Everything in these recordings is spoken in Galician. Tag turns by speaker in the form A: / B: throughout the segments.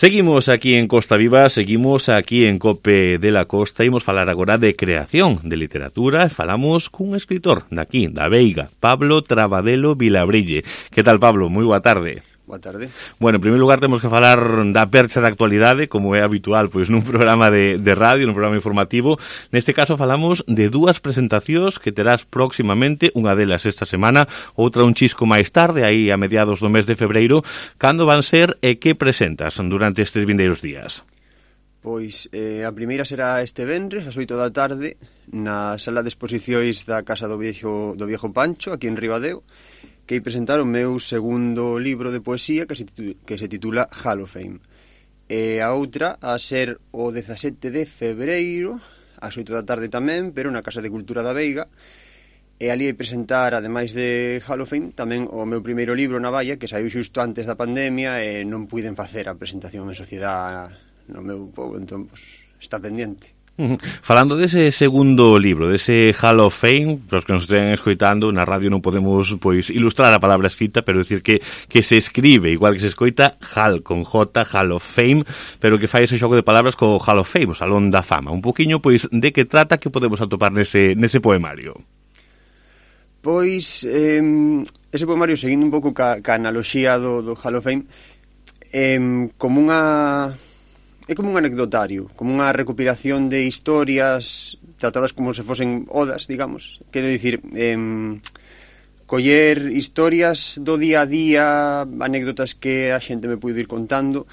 A: Seguimos aquí en Costa Viva, seguimos aquí en Cope de la Costa, imos falar agora de creación, de literatura, falamos cun escritor daqui, da Veiga, Pablo Trabadelo Vilabrille. Que tal, Pablo? Moi boa tarde.
B: Boa tarde.
A: Bueno, en primeiro lugar temos que falar da percha da actualidade, como é habitual pois nun programa de radio, nun programa informativo. Neste caso falamos de dúas presentacións que terás próximamente, unha delas esta semana, outra un chisco máis tarde, aí a mediados do mes de febreiro. Cando van ser e que presentas durante estes vindeiros días?
B: Pois a primeira será este venres, ás 8 da tarde, na sala de exposicións da Casa do Viejo Pancho, aquí en Ribadeo, que ia presentar o meu segundo libro de poesía que se titula Hall of Fame. E a outra a ser o 17 de febreiro, ás 8 da tarde tamén, pero na Casa de Cultura da Veiga. E ali ia presentar, ademais de Hall of Fame, tamén o meu primeiro libro, Navalla, que saiu xusto antes da pandemia e non puiden facer a presentación en sociedade no meu pobo, entón, pues, está pendiente.
A: Falando dese segundo libro, dese Hall of Fame, para os que nos estén escoitando, na radio non podemos pois ilustrar a palabra escrita, pero decir que se escribe, igual que se escoita, Hall con J, Hall of Fame, pero que fai ese xogo de palabras co Hall of Fame, o Salón da Fama. Un poquinho, pois, de que trata, que podemos atopar nese poemario?
B: Pois, ese poemario, seguindo un pouco ca analoxía do Hall of Fame, como unha... É como un anecdotario, como unha recopilación de historias tratadas como se fosen odas, digamos. Quero dicir, coller historias do día a día, anécdotas que a xente me puido ir contando,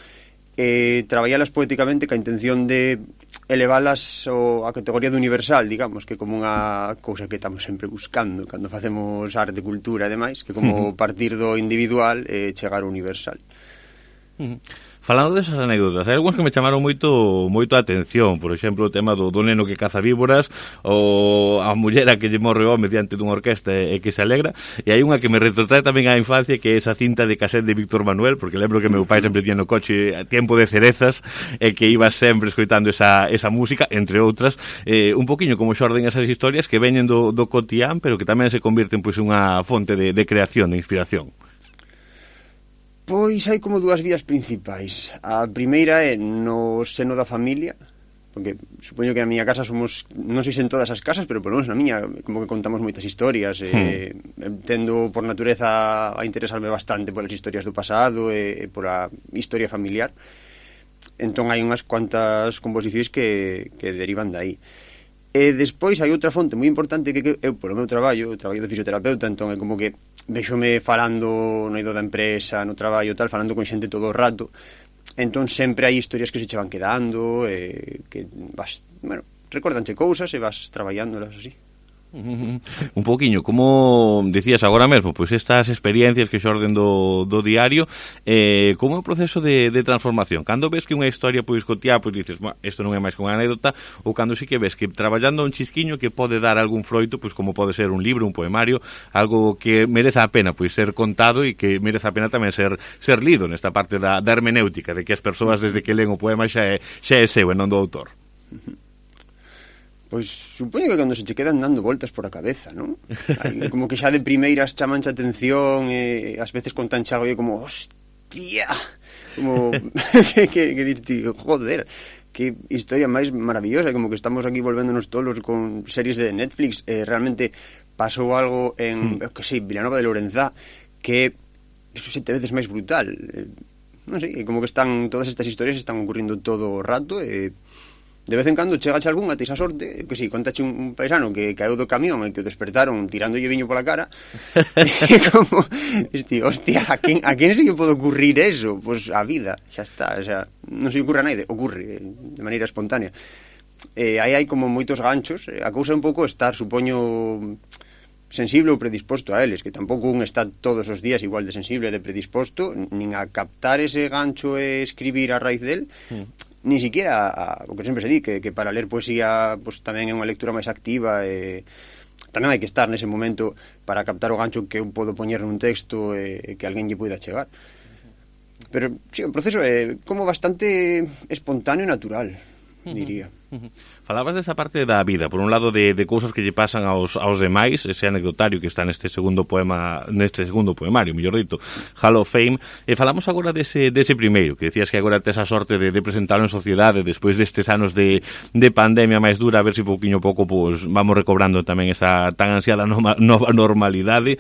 B: traballalas poéticamente ca intención de elevalas a categoría de universal, digamos, que como unha cousa que estamos sempre buscando cando facemos arte, cultura e demais, que como partir do individual e chegar ao universal.
A: Falando desas anécdotas, hai algúns que me chamaron moito a atención. Por exemplo, o tema do neno que caza víboras, ou a mullera que lle morre o home diante dunha orquesta e que se alegra. E hai unha que me retrotrae tamén á infancia, que é esa cinta de cassette de Víctor Manuel, porque lembro que meu pai sempre tiña no coche Tiempo de cerezas, e que iba sempre escoitando esa música, entre outras. Un poquinho como xorden esas historias que veñen do cotián, pero que tamén se convirten pois unha fonte de creación, de inspiración.
B: Pois hai como dúas vías principais. A primeira é no seno da familia, porque supoño que na miña casa somos, non sei se en todas as casas, pero por lo menos na miña, como que contamos moitas historias, tendo por natureza a interesarme bastante polas historias do pasado e por a historia familiar. Entón hai unhas cuantas composicións que derivan de aí. E despois hai outra fonte moi importante que eu, polo meu traballo de fisioterapeuta, entón é como que véxome falando no eido da empresa, no traballo tal, falando con xente todo o rato, entón sempre hai historias que se che van quedando, que vas, bueno, recórdanche cousas e vas traballándolas así.
A: Un poquinho, como decías agora mesmo, pois estas experiencias que xorden do diario, como é o proceso de transformación? Cando ves que unha historia pois cotiá, pois dices, isto non é máis que unha anécdota, ou cando sí que ves que traballando un chisquiño que pode dar algún froito, pois como pode ser un libro, un poemario, algo que mereza a pena pois ser contado e que mereza a pena tamén ser lido nesta parte da hermenéutica, de que as persoas desde que len o poema xa é seu e non do autor.
B: Pois supoño que cando se che quedan dando voltas por a cabeza, non? Como que xa de primeiras chamanche atención e ás veces contanche algo e como, hostia, como que diste, joder, que historia máis maravillosa, como que estamos aquí volvéndonos tolos con series de Netflix. Realmente pasou algo en, que sei, Vilanova de Lourenzá, que é 7 veces máis brutal. Non sei, como que están todas estas historias están ocurrindo todo o rato e de vez en cando chegache algunha, teis a sorte, que si, contache un paisano que caeu do camión e que o despertaron tirándolle viño pola cara, e como, hostia, a quen se lle pode ocurrir eso? Pois a vida, xa está, o sea, non se lle ocurre a naide, ocurre de maneira espontánea. Aí hai como moitos ganchos, a cousa é un pouco estar, supoño, sensible ou predisposto a eles, que tampouco un está todos os días igual de sensible e de predisposto, nin a captar ese gancho e escribir a raíz del, nin siquiera o que sempre se di, que para ler poesía pues, tamén é unha lectura máis activa e tamén hai que estar nese momento para captar o gancho que eu podo poñer nun texto e que alguén lle poida chegar. Pero sí, o proceso é como bastante espontáneo e natural, diría.
A: Falabas desa parte da vida, por un lado de cousas que lle pasan aos demais, ese anecdotario que está neste segundo poemario, mellor dito, Hall of Fame, e falamos agora dese primeiro, que decías que agora tes a sorte de presentarlo en sociedade despois destes anos de pandemia máis dura, a ver se pouquiño pouco pues, vamos recobrando tamén esa tan ansiada nova normalidade.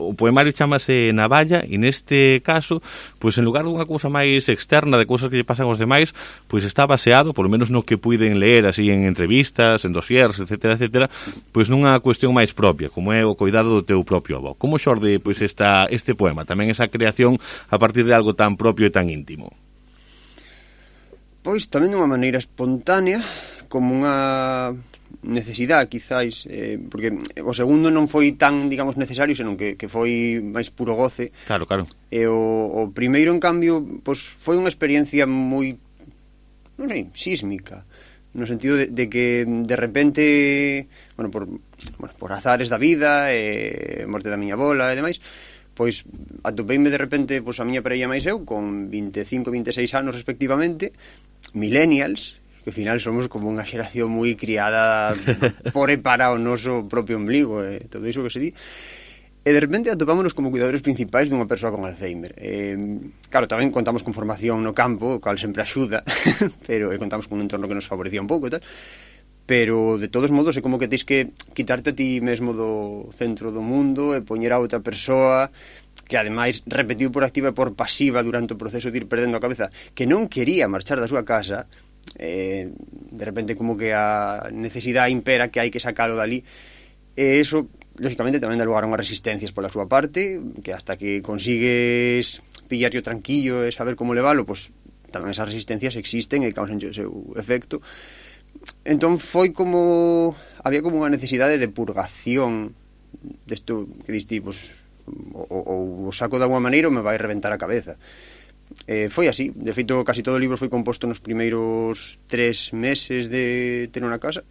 A: O poemario chamase Navalla, e neste caso, pues en lugar dunha cousa máis externa de cousas que lle pasan aos demais, pues está baseado, por lo menos no que puiden ler así en entrevistas, en dossiers, etcétera, etcétera, pois nunha cuestión máis propia, como é o cuidado do teu propio avó. Como xorde pois este poema, tamén esa creación a partir de algo tan propio e tan íntimo?
B: Pois tamén dunha maneira espontánea, como unha necesidade, quizáis, porque o segundo non foi tan, digamos, necesario, senón que foi máis puro goce.
A: Claro, claro.
B: E o primeiro, en cambio, pois foi unha experiencia moi, non sei, sísmica, no sentido de que de repente, por azares da vida, morte da miña bola e demais, pois atopeime de repente pois a miña parella máis eu con 25 e 26 anos respectivamente, millennials, que ao final somos como unha xeración moi criada por e para o noso propio ombligo, todo iso que se di. E de repente atopámonos como cuidadores principais dunha persoa con Alzheimer. Claro, tamén contamos con formación no campo, o cal sempre axuda, pero contamos con un entorno que nos favorecía un pouco e tal. Pero, de todos modos, é como que tens que quitarte a ti mesmo do centro do mundo e poñer a outra persoa que, ademais, repetiu por activa e por pasiva durante o proceso de ir perdendo a cabeza, que non quería marchar da súa casa. De repente, como que a necesidade impera que hai que sacalo dali. E iso, lógicamente, tamén dá lugar a unhas resistencias pola súa parte, que hasta que consigues pillarlo tranquillo e saber como levalo, pois tamén esas resistencias existen e causan o seu efecto. Entón foi como había como unha necesidade de purgación desto que diste, pois, ou o saco de alguma maneira ou me vai reventar a cabeza. Foi así, de feito casi todo o libro foi composto nos primeiros 3 meses de ter unha casa.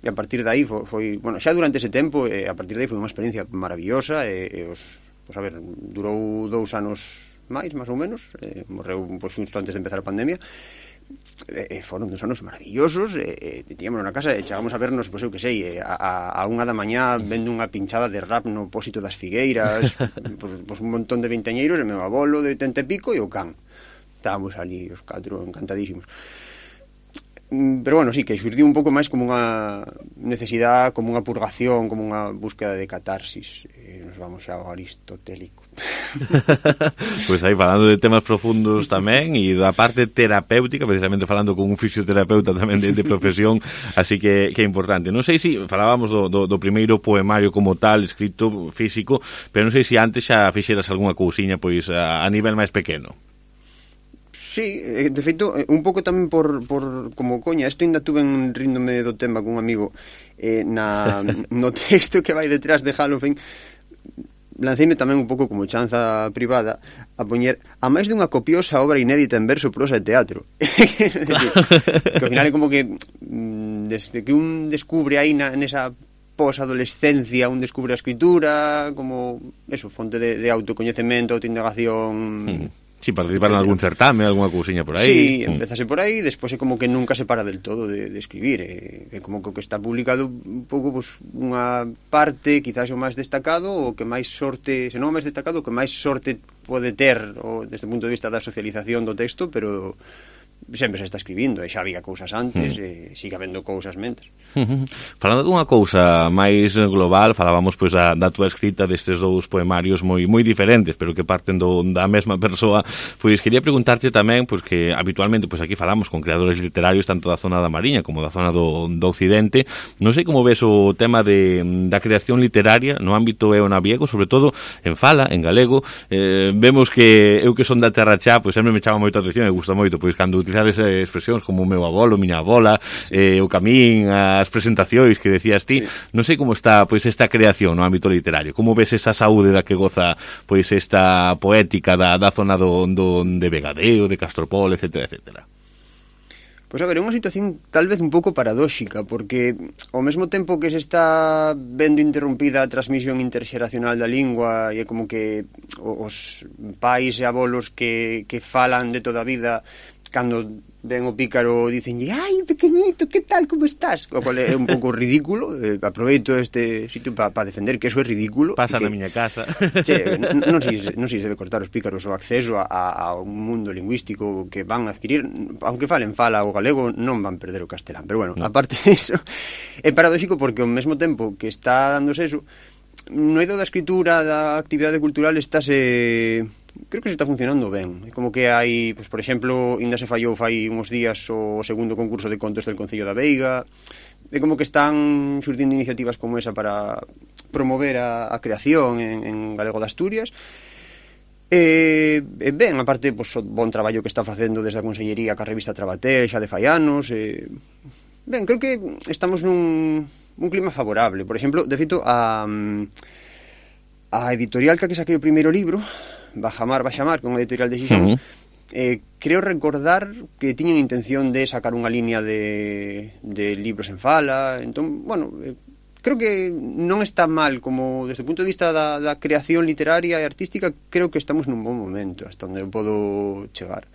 B: E a partir de aí foi bueno, xa durante ese tempo, a partir de aí foi unha experiencia maravillosa, pois a ver, durou 2 anos máis ou menos, morreu pois xusto antes de empezar a pandemia. Foron 2 anos maravillosos, tiñamos na casa e chegamos a vernos, pois eu que sei, a 1 da mañá vendo unha pinchada de rap no pósito das Figueiras, pois un montón de veinteañeiros, e meu avolo de 80 e pico e o can. Estábamos ali os 4 encantadísimos. Pero bueno, sí, que xurdiu un pouco máis como unha necesidade, como unha purgación, como unha búsqueda de catarsis. Nos vamos xa ao aristotélico.
A: Pois aí falando de temas profundos tamén e da parte terapéutica, precisamente falando con un fisioterapeuta tamén de profesión, así que é importante. Non sei se falábamos do primeiro poemario como tal, escrito físico, pero non sei se antes xa fixeras algunha cousiña pois a nivel máis pequeno.
B: Sí, de feito, un pouco tamén por como coña, isto ainda tuve ríndome do tema con un amigo, no texto que vai detrás de Hall of Fame, lanceime tamén un pouco como chanza privada a poñer a máis dunha copiosa obra inédita en verso, prosa e teatro. Que ao final é como que desde que un descubre aí nesa posadolescencia, un descubre a escritura como eso, fonte de autocoñecemento, autoindagación.
A: Sí, participar en algún certame, alguna cousiña por aí.
B: Sí, empezase por aí, despois é como que nunca se para del todo de escribir. É como que está publicado un pouco pues, unha parte, quizás o máis destacado, o que máis sorte, se non o máis destacado, o que máis sorte pode ter desde o punto de vista da socialización do texto, pero sempre se está escribindo, e xa había cousas antes, e sigue habendo cousas mentres.
A: Falando dunha cousa máis global, falábamos pois da túa escrita destes 2 poemarios moi diferentes, pero que parten da mesma persoa. Pois quería preguntarte tamén, pois que habitualmente pois aquí falamos con creadores literarios tanto da zona da Mariña como da zona do Occidente. Non sei como ves o tema da creación literaria no ámbito eonaviego, sobre todo en fala, en galego. Vemos que eu que son da terra xa, pois sempre me chama moito a atención e gusta moito, pois cando utilizades expresións como o meu avolo, miña abola, o camín, as presentacións que decías ti. Sí. Non sei como está pois esta creación no ámbito literario. Como ves esa saúde da que goza pois esta poética da zona de Vegadeo, de Castropol, etcétera, etcétera?
B: Pois a ver, é unha situación tal vez un pouco paradóxica, porque ao mesmo tempo que se está vendo interrompida a transmisión interxeracional da lingua e é como que os pais e abolos que falan de toda a vida cando ven o pícaro dicenlle, ai, pequeñito, que tal, como estás? O cual é un pouco ridículo. Aproveito este sitio para defender que eso é ridículo.
A: Pasa na miña casa.
B: Che, non sei se debe cortar os pícaros o acceso a un mundo lingüístico que van a adquirir, aunque falen fala o galego, non van perder o castelán. Pero bueno, aparte disso, é paradóxico porque ao mesmo tempo que está dándose eso, no eido da escritura, da actividade cultural, creo que se está funcionando ben. É como que hai, pues, por exemplo, ainda se fallou fai uns días o segundo concurso de contos del Concello da Veiga. É como que están surtindo iniciativas como esa para promover a creación en galego de Asturias. Ben, aparte, pues, o bon traballo que está facendo desde a Consellería ca revista Trabatel xa de fai anos. Ben, creo que estamos nun clima favorable. Por exemplo, de feito, a editorial que saquei o primeiro libro, Bajamar, que é unha editorial de Xixón, creo recordar que tiñan intención de sacar unha línea de libros en fala. Entón, bueno, creo que non está mal, como desde o punto de vista da creación literaria e artística, creo que estamos nun bon momento, hasta onde podo chegar.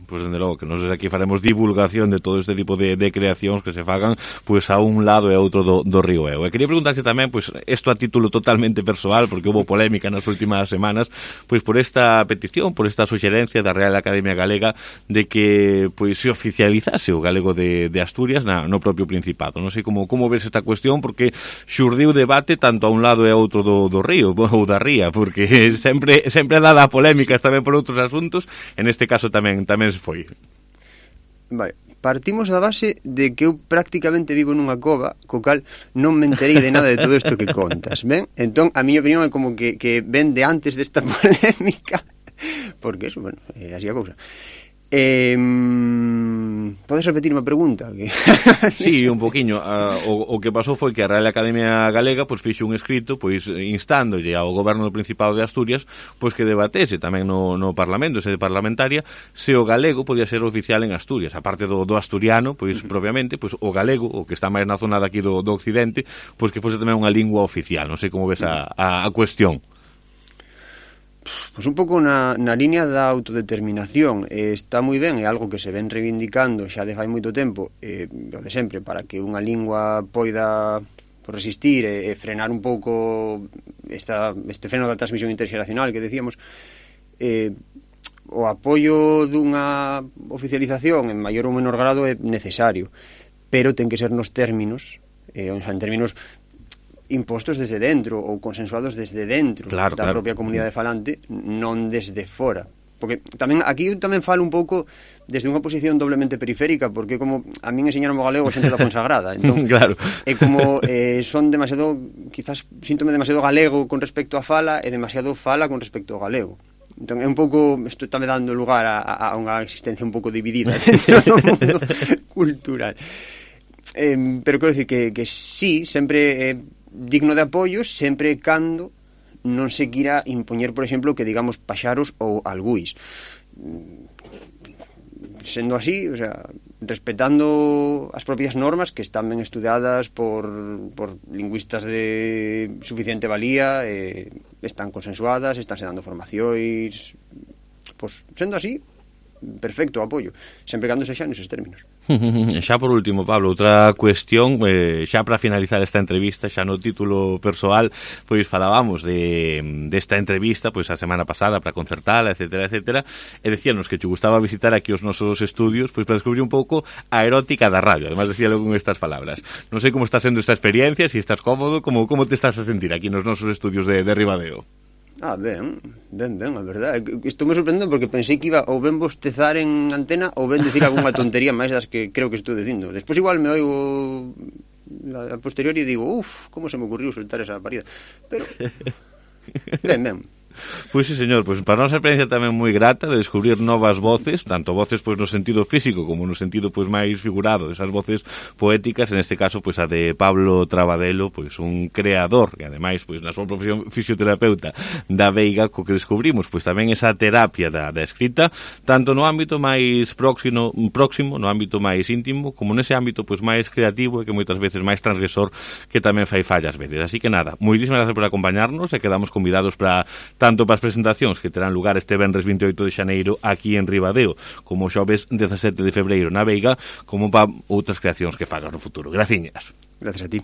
A: Pois, dende logo, que nós aquí faremos divulgación de todo este tipo de creacións que se fagan, pois, a un lado e a outro do río Eo. E quería preguntarse tamén, pois, isto a título totalmente persoal, porque houve polémica nas últimas semanas, pois, por esta petición, por esta suxerencia da Real Academia Galega de que, pois, se oficializase o galego de Asturias no propio Principado. Non sei como ves esta cuestión, porque xurdiu debate tanto a un lado e a outro do río, ou da ría, porque sempre dada a polémica tamén por outros asuntos, en este caso tamén foi.
B: Vale, partimos da base de que eu prácticamente vivo nunha cova, co cal non me enterei de nada de todo isto que contas, ben? Entón, a miña opinión é como que ven de antes desta polémica, porque eso, bueno, así a cousa. Podes repetirme a pregunta?
A: Sí, un poquinho. O que pasou foi que a Real Academia Galega pois fixo un escrito pois instándolle ao goberno do Principado de Asturias pois que debatese tamén no Parlamento, sede parlamentaria, se o galego podía ser oficial en Asturias, aparte do asturiano, pois propiamente, pois o galego, o que está máis na zona daqui do occidente, pois que fose tamén unha lingua oficial. Non sei como ves a cuestión.
B: Pois un pouco na línea da autodeterminación. Está moi ben, é algo que se ven reivindicando xa de fai moito tempo, o de sempre, para que unha lingua poida resistir e frenar un pouco este freno da transmisión interxeracional que decíamos. O apoio dunha oficialización en maior ou menor grado é necesario, pero ten que ser nos términos, en términos impostos desde dentro ou consensuados desde dentro da propia comunidade falante, non desde fora. Porque tamén aquí eu tamén falo un pouco desde unha posición doblemente periférica, porque como a min enseñaron o galego xente da Fonsagrada, entón
A: claro.
B: É como son demasiado, quizás síntome demasiado galego con respecto a fala e demasiado fala con respecto ao galego. Entón é un pouco, isto está me dando lugar a unha existencia un pouco dividida dentro do mundo cultural. Pero quero dicir que sí, sempre digno de apoio, sempre cando non se quira impoñer, por exemplo, que digamos paxaros ou algúis. Sendo así, o sea, respetando as propias normas que están ben estudiadas por lingüistas de suficiente valía, están consensuadas, están se dando formacións, pois, sendo así, perfecto apoio, sempre cando sexa neses términos.
A: Xa por último, Pablo, outra cuestión, xa para finalizar esta entrevista, xa no título persoal, pois falábamos desta entrevista pois a semana pasada para concertala, etcétera, e decíanos que te gustaba visitar aquí os nosos estudios pois para descubrir un pouco a erótica da radio, además decíalo con estas palabras. Non sei como está sendo esta experiencia, se estás cómodo, como te estás a sentir aquí nos nosos estudios de Ribadeo.
B: Ben, a verdade. Estou me sorprendendo porque pensei que iba ou ben bostezar en antena ou ben decir algunha tontería máis das que creo que estou dicindo. Despois igual me oigo a posteriori e digo, como se me ocurriu soltar esa parida. Pero, ben.
A: Pois sí, señor, pois para nosa experiencia tamén moi grata de descubrir novas voces, tanto voces pois no sentido físico como no sentido pois máis figurado, esas voces poéticas, en este caso pois a de Pablo Trabadelo, pois un creador, e ademais pois na súa profesión fisioterapeuta da Veiga, co que descubrimos pois tamén esa terapia da escrita, tanto no ámbito máis próximo, no ámbito máis íntimo, como nese ámbito pois máis creativo e que moitas veces máis transgresor que tamén fai fallas veces. Así que nada, moitísimas gracias por acompañarnos e quedamos convidados para tanto para as presentacións que terán lugar este venres 28 de xaneiro aquí en Ribadeo, como o xoves 17 de febreiro na Veiga, como para outras creacións que fagas no futuro. Graciñas.
B: Gracias a ti.